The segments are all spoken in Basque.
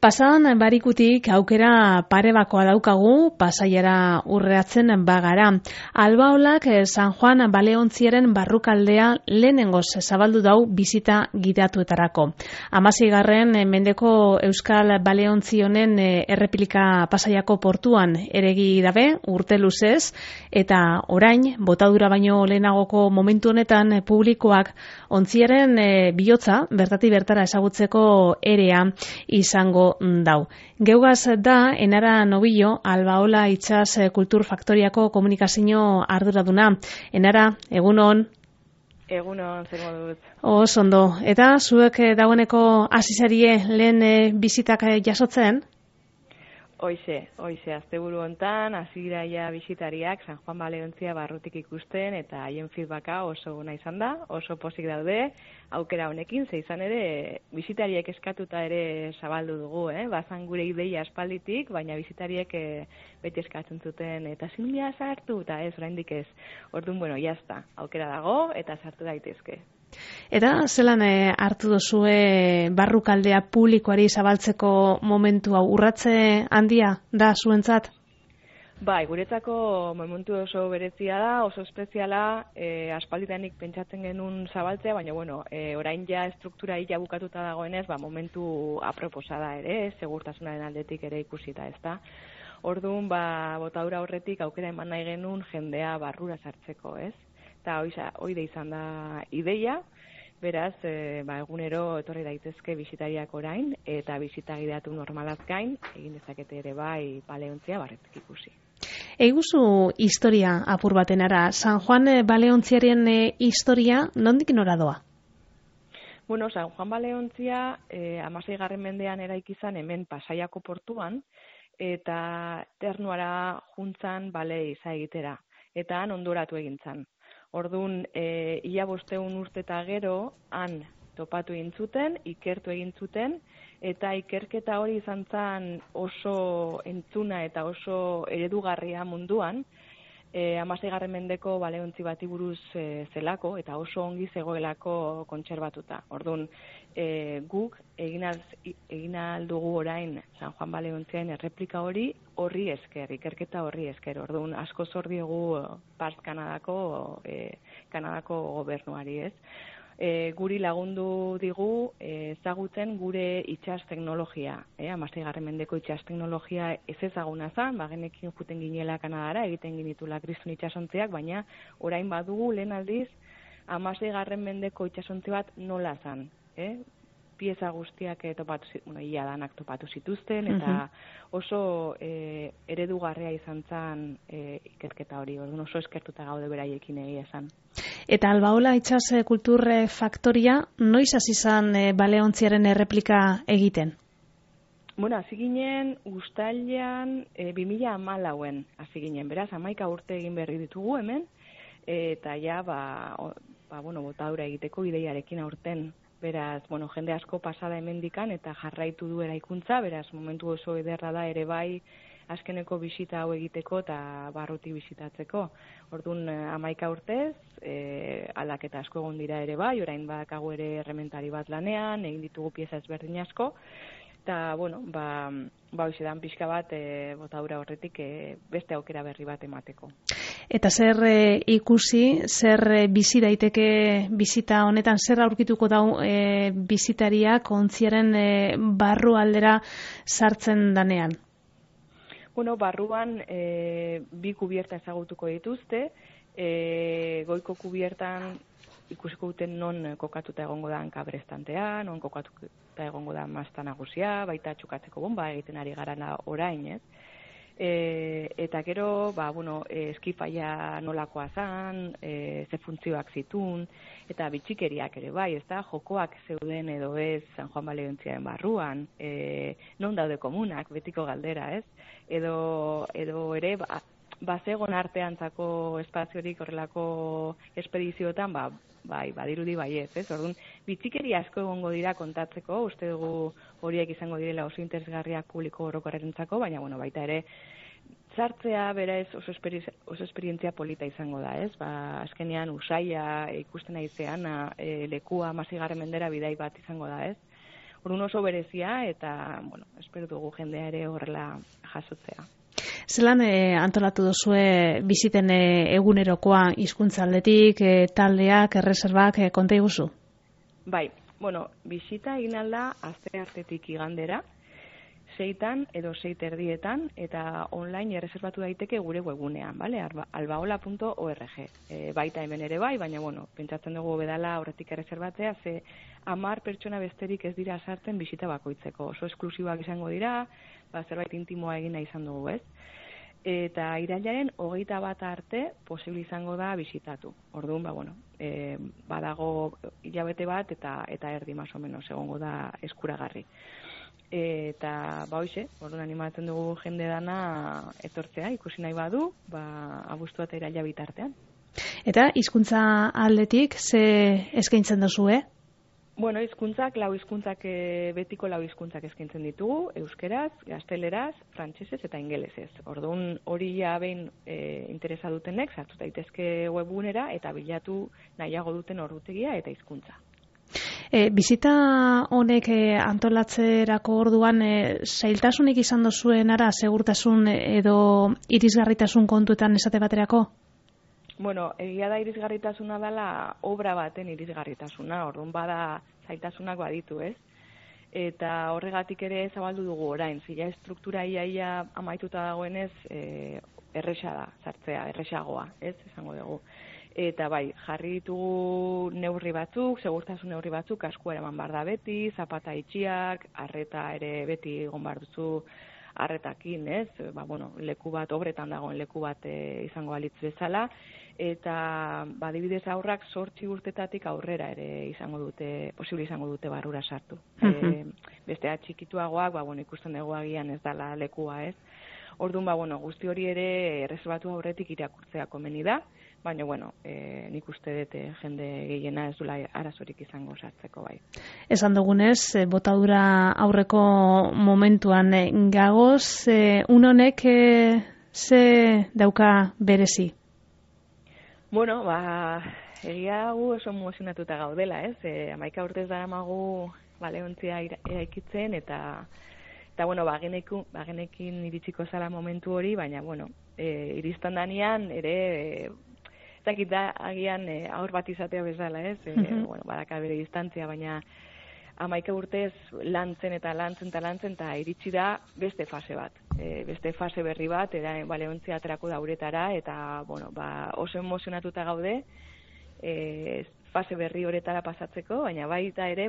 Pasadan barikutik aukera parebakoa daukagu Pasaiara urreatzen bagara. Albaolak San Juan Baleontziaren barrukaldea lehenengoz zabaldu dau bisita gidatuetarako. 16. mendeko Euskal Baleontzi honen erreplika Pasaiako portuan eregi dabe urte luzez, eta orain botadura baino lehenagoko momentu honetan publikoak ontziaren bihotza bertatik bertara ezagutzeko erea izango dau. Geugaz da Enara Nobillo, Albaola Itsas Kultur Faktoriako komunikazio arduraduna. Enara, egunon. Egunon, zer moduz. Ondo. Eta zuek dagoeneko hasizarie lehen bizitak jasotzen? Hoize, asteburu hontan hasi dira bisitariak San Juan Baleontzia barrutik ikusten eta haien feedbacka oso ona izan da, oso pozik daude aukera honekin, ze izan ere bisitariek eskatuta ere zabaldu dugu, bazan gure ideia aspalditik, baina bisitariek beti eskatzen zuten eta zinbila sartu eta ez, oraindik ez. Orduan, jazta, aukera dago eta sartu daitezke. Eta zelan hartu duzue barrukaldea publikoari zabaltzeko momentu hau, urratze handia da zuentzat? Bai, guretzako momentu oso berezia da, oso espeziala, aspalditanik pentsatzen genuen zabaltzea, baina orain ja struktura hila bukatuta dagoenez, momentu aproposa da ere, segurtasunaren aldetik ere ikusita, ezta. Orduan, botadura horretik aukera eman nahi genuen jendea barrura sartzeko, ez? Eta hori da izan da ideia, beraz, egunero etorri daitezke bisitariak orain, eta bisita gidatu normalaz gain, egin dezakete ere bai Baleontzia barretik ikusi. Eiguzu historia apur batenara, San Juan Baleontziaren historia nondik nora doa? San Juan Baleontzia 16. mendean eraiki izan hemen Pasaiako portuan, eta Ternuara juntzan bale iza egitera, eta han ondoratu egin zan. Orduan, ia 500 urte eta gero, han topatu egin zuten, ikertu egin zuten, eta ikerketa hori izan zen oso entzuna eta oso eredugarria munduan, 16. mendeko Baleontzi bati buruz zelako, eta oso ongi zegoelako kontserbatuta. Orduan, guk egin aldugu orain San Juan Baleontziaren erreplika horri esker, ikerketa horri esker. Orduan, asko zor diegu Pars Kanadako gobernuari, ez? Guri lagundu digu ezagutzen gure itsas teknologia. 16. mendeko itsas teknologia ez ezaguna zen, genekin juten ginela Kanadara, egiten ginitula kriston itsasontziak, baina orain badugu lehen aldiz 16. mendeko itsasontzi bat nola zen. Pieza guztiak ia danak topatu zituzten, eta oso eredugarria izan zen ikerketa hori, oso eskertuta gaude beraiekin egia esan. Eta Albaola Itsas Kultur Faktoria noiz hasi zen Baleontziaren erreplika egiten? Hasi ginen uztailean 2014 hasi ginen, beraz 11 urte egin berri ditugu hemen, eta ja botadura egiteko ideiarekin aurten. Beraz, jende asko pasada hemendikan eta jarraitu du eraikuntza, beraz, momentu oso ederra da ere bai azkeneko bisita hau egiteko eta barrutik bisitatzeko. Orduan, 11 urtez, aldaketa asko egon dira ere bai, orain badakagu ere errementari bat lanean, egin ditugu pieza ezberdin asko, eta, hoizedan pixka bat botadura horretik beste aukera berri bat emateko. Eta zer ikusi, zer bizi daiteke bizita honetan, zer aurkituko dau bizitariak ontziaren barru aldera sartzen danean? Barruan bi kubierta ezagutuko dituzte, goiko kubiertan ikusiko duten non kokatuta egongo da kabrestantea, non kokatuta egongo da mazta nagusia, baita txukatzeko bomba egiten ari gara orain, ez? Eta gero, eskifaia nolakoa zan, ze funtzioak zitun, eta bitxikeriak ere bai, ez da, jokoak zeuden edo ez San Juan Baleontziaren barruan, non daude komunak, betiko galdera, ez? Edo ere, bazegon arteantzako espaziorik horrelako espedizioetan, badirudi baiez, ez? Orduan, bitxikeri asko egongo dira kontatzeko, uste dugu horiek izango direla oso interesgarriak publiko orokorrentzako, baina, baita ere, sartzea berez oso esperientzia polita izango da, ez? Azkenean usaia ikusten aizean lekua 16. mendera bidai bat izango da, ez? Orduan oso berezia eta, bueno, espero dugu jendea ere horrela jasotzea. Zelan antolatu duzue biziten egunerokoa hizkuntza aldetik, taldeak, erreserbak, konta iguzu? Bai, bueno, bizita egin alda asteartetik igandera, 6 edo 6:30 eta online erreserbatu daiteke gure webgunean, bale? albaola.org. Baita hemen ere bai, baina bueno, pentsatzen dugu bedala horretik erreserbatzea, ze 10 pertsona besterik ez dira sartzen bizita bakoitzeko. Oso esklusiboak izango dira, zerbait intimoa egina izan dugu, ez? Eta irailaren 21 arte posible izango da bisitatu. Orduan, badago hilabete bat eta erdi más o menos egongo da eskuragarri. Eta hoize, orduan animatzen dugu jende dana etortzea, ikusi nahi badu, abuztua eta iraila bitartean. Eta hizkuntza aldetik ze eskaintzen duzue? Bueno, hizkuntzak, betiko 4 hizkuntzak eskaintzen ditugu, euskeraz, gazteleraz, frantsesez eta ingelesez. Orduan hori ja behin interesa dutenek sartu daitezke webgunera eta bilatu nahiago duten ordutegia eta hizkuntza. Bizita honek antolatzerako orduan zailtasunik izan duzuen ara segurtasun edo irisgarritasun kontuetan esate baterako? Bueno, egia da irisgarritasuna dela obra baten irisgarritasuna, orduan bada zailtasunak baditu, ez? Eta horregatik ere zabaldu dugu orain, zila estruktura iaia amaituta dagoenez erresa da, sartzea, erresagoa, ez? Esango dugu. Eta bai, jarri ditugu neurri batzuk, segurtasun neurri batzuk, askua eraman behar da beti, zapata itxiak, arreta ere beti egon behar duzu arretakin, ez? Leku bat, obretan dagoen leku bat izango balitz bezala, eta adibidez aurrak 8 urtetatik aurrera ere posible izango dute barrura sartu. Bestea txikituagoak, ikusten dugu agian ez dala lekua, ez? Orduan, guzti hori ere erreserbatu aurretik irakurtzea komeni da, baina, nik uste dut jende gehiena ez dula arazorik izango sartzeko bai. Esan dugunez, botadura aurreko momentuan gagoz, honek ze dauka berezi? Bueno, egia gu oso emozionatuta gaudela, ez? 11 urtez daramagu Baleontzia eraikitzen eta bagenekin iritsiko zala momentu hori, baina, iristan danean ere zakit da agian aur bat izatea bezala, ez? Badaka bere distantzia, baina 11 urtez lantzen eta iritsi da beste fase bat. Beste fase berri bat, Baleontzia aterako da uretara, eta, oso emozionatuta gaude, fase berri horretara pasatzeko, baina baita ere,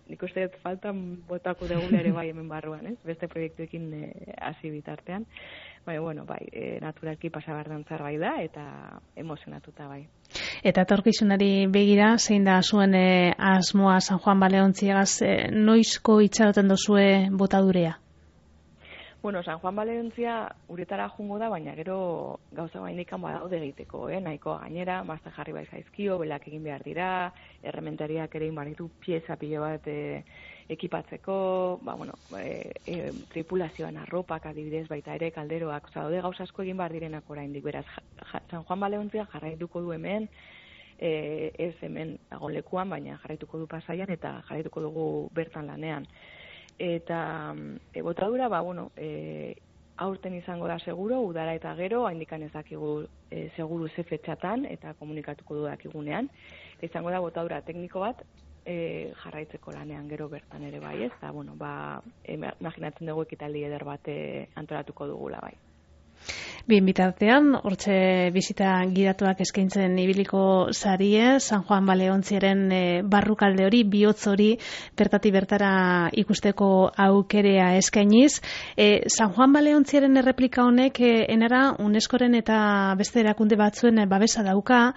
nik uste dut faltan botako degula ere bai hemen barruan, ez? Beste proiektuekin hasi bitartean. Baina, naturalki pasabardan bai da, eta emozionatuta bai. Eta etorkizunari begira, zein da zuen asmoa San Juan Baleontziagaz, noizko itxaroten duzue botadurea? San Juan Baleontzia uretara jungo da, baina gero gauza bainikan badaude egiteko, nahiko gainera, mazte jarri bai zaizkio, belak egin behar dira, errementariak ere inbaritu pieza pilo bat ekipatzeko, tripulazioan arropak adibidez baita ere kalderoak, daude gauza asko egin behar direnak oraindik, beraz, San Juan Baleontzia jarraituko du hemen, ez hemen dago lekuan, baina jarraituko du Pasaian eta jarraituko dugu bertan lanean. Eta botadura, aurten izango da seguro, udara eta gero, haindikan ez dakigu seguru ze fetxatan, eta komunikatuko du dakigunean. Izango da botadura tekniko bat, jarraitzeko lanean gero bertan ere bai, ez? Eta, imaginatzen dugu ekitaldi eder bat antolatuko dugula bai. Bien bitartean, hortxe bizita gidatuak eskaintzen ibiliko zarie, San Juan Baleontziaren barrukalde hori, bihotz hori, bertatik bertara ikusteko aukerea eskainiz. San Juan Baleontziaren erreplika honek, enara UNESCOren eta beste erakunde batzuen babesa dauka,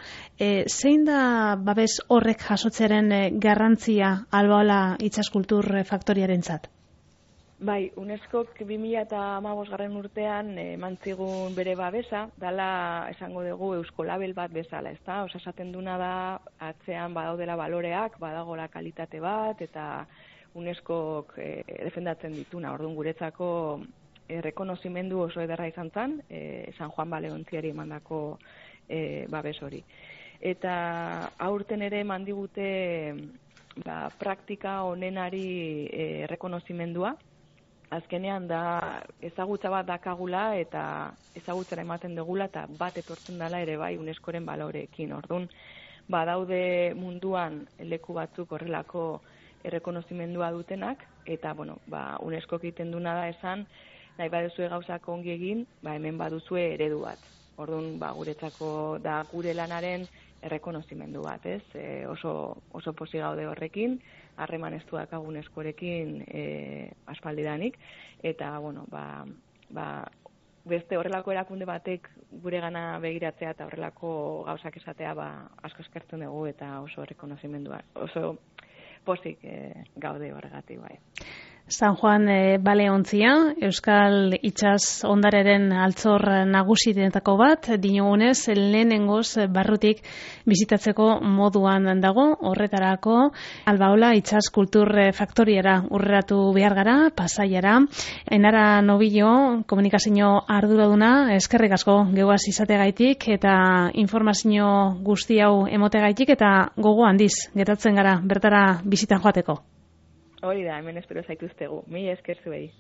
zein da babes horrek jasotzearen garrantzia Albaola itsaskultur faktoriarentzat? Bai, UNESCOk 2015 urtean mantzigun bere babesa, dala esango dugu euskolabel bat bezala, ezta? Esaten duna da atzean badaudela baloreak, badagola kalitate bat, eta UNESCok defendatzen dituna. Orduan guretzako errekonozimendu oso ederra izan zen, San Juan Baleontziari emandako babes hori. Eta aurten ere eman digute praktika onenari errekonozimendua. Azkenean da ezagutza bat dakagula eta ezagutzara ematen dugula eta bat etortzen dela ere bai UNESCOren baloreekin. Orduan, badaude munduan leku batzuk horrelako errekonozimendua dutenak eta UNESCO egiten duna da esan nahi baduzue gauzak ongi egin, hemen baduzue eredu bat. Orduan, guretzako da gure lanaren errekonozimendu bat, ez? Oso pozik gaude horrekin, harreman estu dakagu UNESCOrekin aspaldidanik, eta, beste horrelako erakunde batek gure gana begiratzea eta horrelako gauzak esatea asko eskertzen dugu eta oso errekonozimendua, oso pozik gaude horregatik bai. San Juan baleontzia, Euskal Itsas ondareren altzor nagusienetako bat, dinogunez lehenengoz barrutik bizitatzeko moduan dago, horretarako Albaola Itsas Kultur Faktoriara urreratu behar gara, Pasaiara. Enara Nobillo, komunikazio arduraduna, eskerrik asko geuaz izategaitik eta informazio guzti hau emotegaitik eta gogo handiz geratzen gara bertara bizitan joateko. Hori da, hemen espero zaituztegu. Mila esker zuei.